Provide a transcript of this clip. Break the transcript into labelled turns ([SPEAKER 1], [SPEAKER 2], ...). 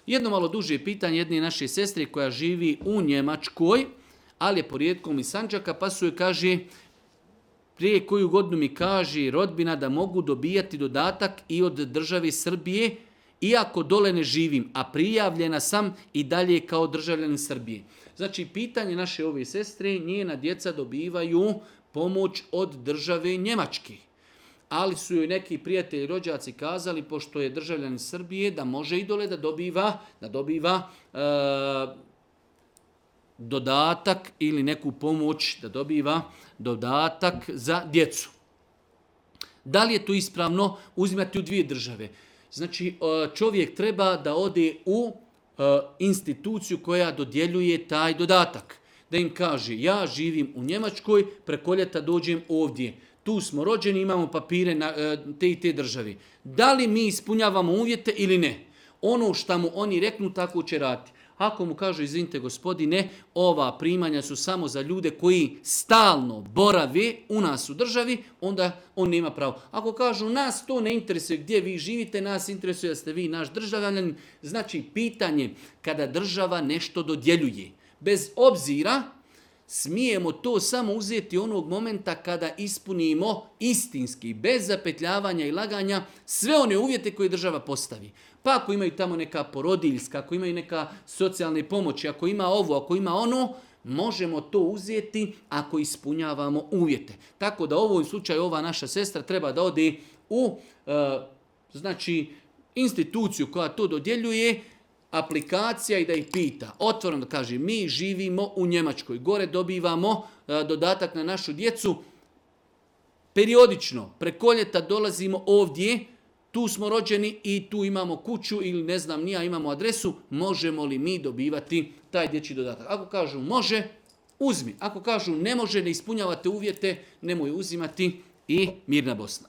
[SPEAKER 1] Jedno malo duže pitanje jedne naše sestre koja živi u Njemačkoj, ali je porijetkom iz Sandžaka, pa su joj kaže, prije koju godinu mi kaže rodbina da mogu dobijati dodatak i od države Srbije, iako dole ne živim, a prijavljena sam i dalje kao državljanin Srbije. Znači, pitanje naše ove sestre, njena djeca dobivaju pomoć od države Njemačke. Ali su joj neki prijatelji, rođaci kazali, pošto je državljanin Srbije, da može i dole da dobiva dodatak ili neku pomoć, da dobiva dodatak za djecu. Da li je to ispravno uzimati u dvije države? Znači, čovjek treba da ode u instituciju koja dodjeljuje taj dodatak. Da im kaže, ja živim u Njemačkoj, preko ljeta dođem ovdje. Tu smo rođeni, imamo papire na te i te državi. Da li mi ispunjavamo uvjete ili ne? Ono što mu oni reknu, tako će raditi. Ako mu kažu, izvinite gospodine, ova primanja su samo za ljude koji stalno borave u nas u državi, onda on nema pravo. Ako kažu, nas to ne interesuje gdje vi živite, nas interesuje da ste vi naš državljanin, znači pitanje kada država nešto dodjeljuje. Bez obzira, smijemo to samo uzeti onog momenta kada ispunimo istinski, bez zapetljavanja i laganja, sve one uvjete koje država postavi. Pa ako imaju tamo neka porodiljska, ako imaju neka socijalne pomoći, ako ima ovo, ako ima ono, možemo to uzeti ako ispunjavamo uvjete. Tako da u ovom slučaju ova naša sestra treba da ode u instituciju koja to dodjeljuje, aplikacija i da ih pita. Otvoreno da kaže, mi živimo u Njemačkoj, gore dobivamo dodatak na našu djecu, periodično, preko ljeta dolazimo ovdje, tu smo rođeni i tu imamo kuću ili ne znam nija, imamo adresu, možemo li mi dobivati taj dječji dodatak? Ako kažu može, uzmi. Ako kažu ne može, ne ispunjavate uvjete, nemoj uzimati i mirna Bosna.